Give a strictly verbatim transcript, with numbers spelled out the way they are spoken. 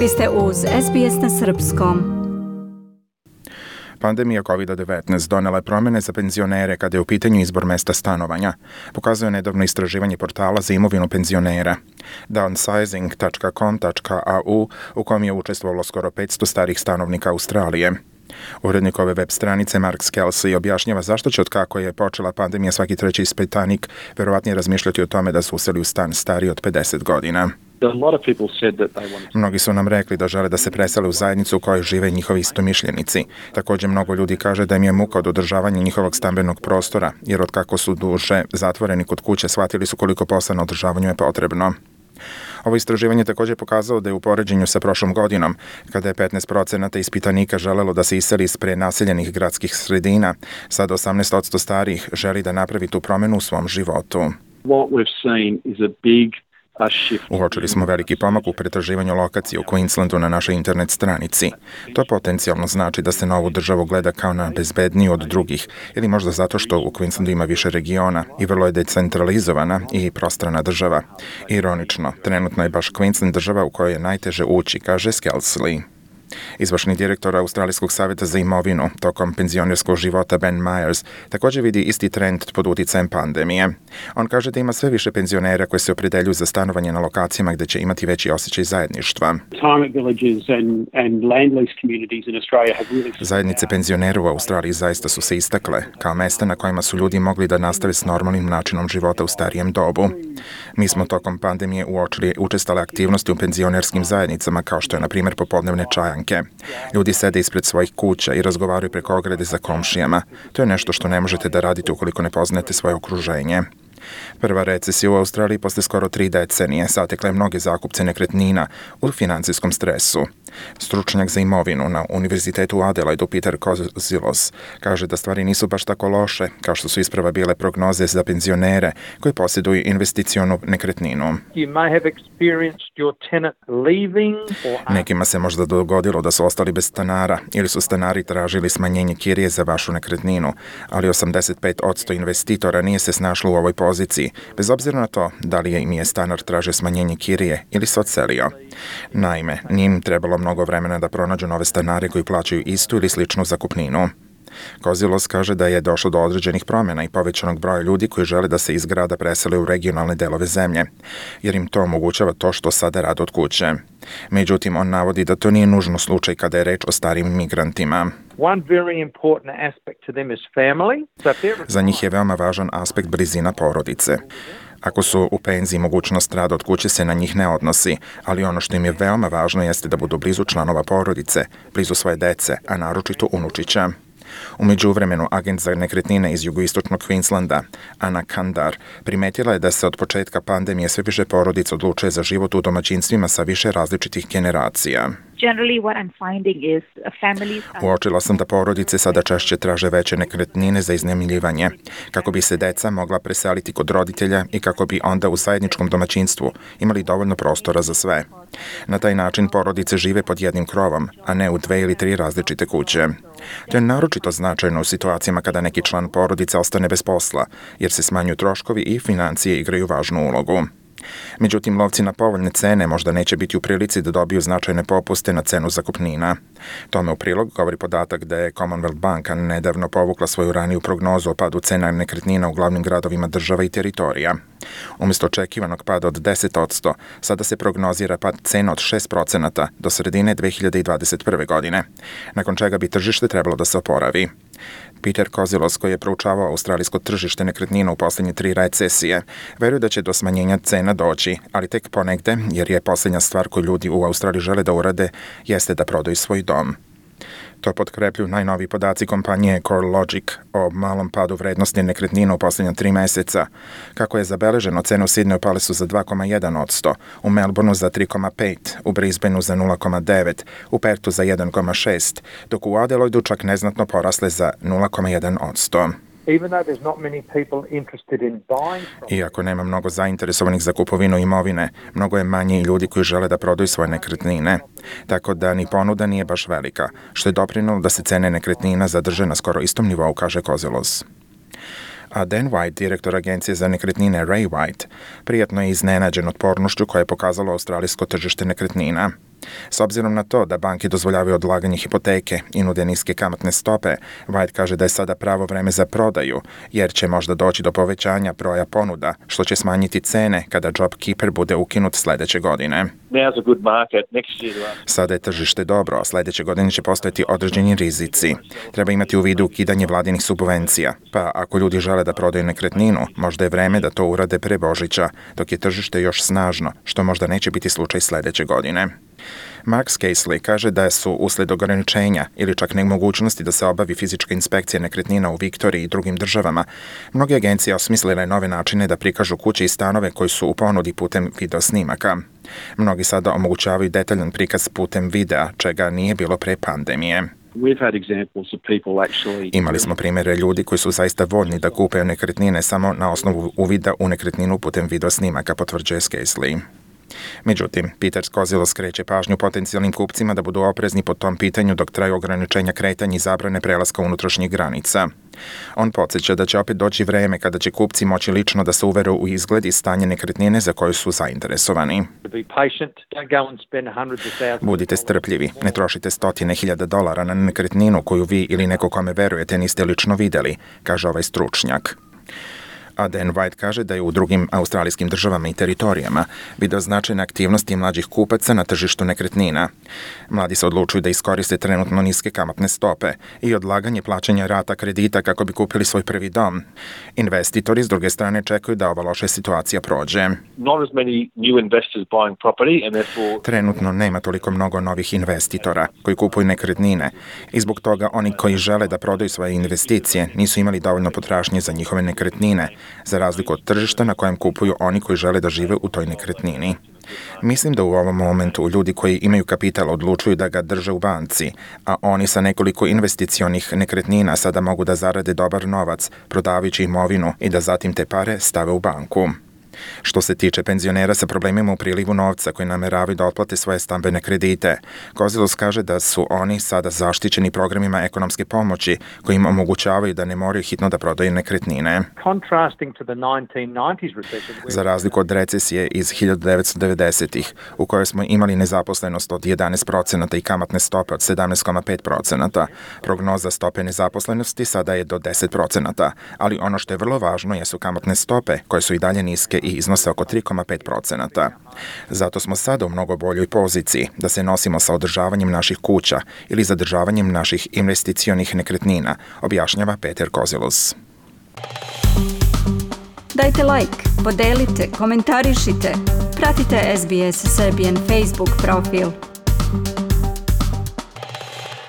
Vi ste uz S B S na srpskom. Pandemija kovid devetnaest donela je promjene za penzionere kada je u pitanju izbor mesta stanovanja, pokazuje nedavno istraživanje portala za imovinu penzionera downsizing dot com dot a u u kojem je učestvovalo skoro petsto starih stanovnika Australije. Urednik ove web stranice Mark Skelsi objašnjava zašto će od kako je počela pandemija svaki treći ispitanik verovatnije razmišljati o tome da su useli u stan stariji od pedeset godina. Mnogi su nam rekli da žele da se presele u zajednicu u kojoj žive njihovi istomišljenici. Također mnogo ljudi kaže da im je muka od održavanja njihovog stambenog prostora, jer od kako su duže zatvoreni kod kuće shvatili su koliko posla na održavanju je potrebno. Ovo istraživanje također pokazalo da je u poređenju sa prošlom godinom, kada je petnaest procenata ispitanika želelo da se iseli iz prenaseljenih gradskih sredina, sad osamnaest posto starih želi da napravi tu promjenu u svom životu. What we've seen is a big Uočili smo veliki pomak u pretraživanju lokacije u Queenslandu na našoj internet stranici. To potencijalno znači da se na ovu državu gleda kao na bezbedniju od drugih, ili možda zato što u Queenslandu ima više regiona i vrlo je decentralizovana i prostrana država. Ironično, trenutno je baš Queensland država u kojoj je najteže ući, kaže Skelsley. Izvršni direktor Australijskog savjeta za imovinu tokom penzionerskog života Ben Myers također vidi isti trend pod utjecajem pandemije. On kaže da ima sve više penzionera koji se opredeljuju za stanovanje na lokacijama gdje će imati veći osjećaj zajedništva. Zajednice penzionera u Australiji zaista su se istakle kao mjesta na kojima su ljudi mogli da nastave s normalnim načinom života u starijem dobu. Mi smo tokom pandemije uočili učestale aktivnosti u penzionerskim zajednicama kao što je na primjer popodnevne čajanke. Ljudi sede ispred svojih kuća i razgovaraju preko ograde za komšijama. To je nešto što ne možete da radite ukoliko ne poznajete svoje okruženje. Prva recesija u Australiji posle skoro tri decenije zatekla je mnoge zakupce nekretnina u financijskom stresu. Stručnjak za imovinu na Univerzitetu u Adelaidu Peter Kozilos kaže da stvari nisu baš tako loše kao što su isprava bile prognoze za penzionere koji posjeduju investicionu nekretninu. Nekima se možda dogodilo da su ostali bez stanara ili su stanari tražili smanjenje kirije za vašu nekretninu, ali osamdeset pet posto investitora nije se snašlo u ovoj poziciji, bez obzira na to da li je im je stanar tražio smanjenje kirije ili se odselio. Naime, nije im trebalo mnogo vremena da pronađu nove stanare koji plaćaju istu ili sličnu zakupninu. Kozilos kaže da je došlo do određenih promjena i povećanog broja ljudi koji žele da se iz grada presele u regionalne delove zemlje, jer im to omogućava to što sada rade od kuće. Međutim, on navodi da to nije nužno slučaj kada je reč o starim migrantima. Za njih je veoma važan aspekt blizina porodice. Ako su u penziji, mogućnost rada od kuće se na njih ne odnosi, ali ono što im je veoma važno jeste da budu blizu članova porodice, blizu svoje dece, a naročito unučića. U međuvremenu, agent za nekretnine iz jugoistočnog Queenslanda, Ana Kandar, primetila je da se od početka pandemije sve više porodica odlučuje za život u domaćinstvima sa više različitih generacija. Uočila sam da porodice sada češće traže veće nekretnine za iznajmljivanje, kako bi se deca mogla preseliti kod roditelja i kako bi onda u zajedničkom domaćinstvu imali dovoljno prostora za sve. Na taj način porodice žive pod jednim krovom, a ne u dve ili tri različite kuće. To je naročito značajno u situacijama kada neki član porodice ostane bez posla, jer se smanjuju troškovi i financije igraju važnu ulogu. Međutim, lovci na povoljne cene možda neće biti u prilici da dobiju značajne popuste na cenu zakupnina. Tome u prilog govori podatak da je Commonwealth banka nedavno povukla svoju raniju prognozu o padu cena nekretnina u glavnim gradovima država i teritorija. Umjesto očekivanog pada od deset posto, sada se prognozira pad cena od šest procenata do sredine dve hiljade dvadeset prve. godine, nakon čega bi tržište trebalo da se oporavi. Peter Kozilos, koji je proučavao australijsko tržište nekretnina u posljednje tri recesije, veruje da će do smanjenja cena doći, ali tek ponegde, jer je posljednja stvar koju ljudi u Australiji žele da urade, jeste da prodaju svoj dom. To potkrepljuju najnoviji podaci kompanije CoreLogic o malom padu vrednosti nekretnina u posljednja tri mjeseca. Kako je zabeleženo, cene u Sydneyu pale su za dva zarez jedan posto, u Melbourneu za tri zarez pet, u Brisbaneu za nula zarez devet, u Perthu za jedan zarez šest, dok u Adelaidu čak neznatno porasle za nula zarez jedan posto. Iako nema mnogo zainteresovanih za kupovinu imovine, mnogo je manje i ljudi koji žele da prodaju svoje nekretnine. Tako da ni ponuda nije baš velika, što je doprinelo da se cene nekretnina zadrže na skoro istom nivou, kaže Kozilos. A Dan White, direktor agencije za nekretnine Ray White, prijatno je iznenađen otpornošću koja je pokazalo australijsko tržište nekretnina. S obzirom na to da banke dozvoljavaju odlaganje hipoteke i nude niske kamatne stope, White kaže da je sada pravo vreme za prodaju, jer će možda doći do povećanja broja ponuda, što će smanjiti cene kada JobKeeper bude ukinut sledeće godine. Sada je tržište dobro, a sledeće godine će postojati određeni rizici. Treba imati u vidu ukidanje vladinih subvencija, pa ako ljudi žele da prodaju nekretninu, možda je vreme da to urade pre Božića, dok je tržište još snažno, što možda neće biti slučaj sledeće godine. Mark Scaisley kaže da su usled ograničenja ili čak nemogućnosti da se obavi fizička inspekcija nekretnina u Viktoriji i drugim državama, mnoge agencije osmislile nove načine da prikažu kuće i stanove koji su u ponudi putem video snimaka. Mnogi sada omogućavaju detaljan prikaz putem videa, čega nije bilo pre pandemije. Imali smo primjere ljudi koji su zaista voljni da kupe nekretnine samo na osnovu uvida u nekretninu putem video snimaka, potvrđuje Scaisley. Međutim, Peter Skozilo skreće pažnju potencijalnim kupcima da budu oprezni po tom pitanju dok traju ograničenja kretanja i zabrane prelaska unutrašnjih granica. On podsjeća da će opet doći vreme kada će kupci moći lično da se uvere u izgled i stanje nekretnine za koju su zainteresovani. Budite strpljivi, ne trošite stotine hiljada dolara na nekretninu koju vi ili neko kome verujete niste lično videli, kaže ovaj stručnjak. A Dan White kaže da je u drugim australijskim državama i teritorijama video značajne aktivnosti mlađih kupaca na tržištu nekretnina. Mladi se odlučuju da iskoriste trenutno niske kamatne stope i odlaganje plaćanja rata kredita kako bi kupili svoj prvi dom. Investitori s druge strane čekaju da ova loša situacija prođe. Trenutno nema toliko mnogo novih investitora koji kupuju nekretnine i zbog toga oni koji žele da prodaju svoje investicije nisu imali dovoljno potražnje za njihove nekretnine, za razliku od tržišta na kojem kupuju oni koji žele da žive u toj nekretnini. Mislim da u ovom momentu ljudi koji imaju kapital odlučuju da ga drže u banci, a oni sa nekoliko investicionih nekretnina sada mogu da zarade dobar novac, prodavajući imovinu i da zatim te pare stave u banku. Što se tiče penzionera sa problemima u prilivu novca koji nameravaju da otplate svoje stambene kredite, Kozilos kaže da su oni sada zaštićeni programima ekonomske pomoći koji im omogućavaju da ne moraju hitno da prodaju nekretnine. Za razliku od recesije iz hiljadu devetsto devedesetih, u kojoj smo imali nezaposlenost od jedanaest procenata i kamatne stope od sedamnaest zarez pet procenata, prognoza stope nezaposlenosti sada je do deset procenata, ali ono što je vrlo važno jesu kamatne stope koje su i dalje niske i iznose oko tri zarez pet procenata. Zato smo sada u mnogo boljoj poziciji da se nosimo sa održavanjem naših kuća ili zadržavanjem naših investicionih nekretnina, objašnjava Peter Kozilos. Dajte like, podelite, komentarišite, pratite S B S Serbian Facebook profil.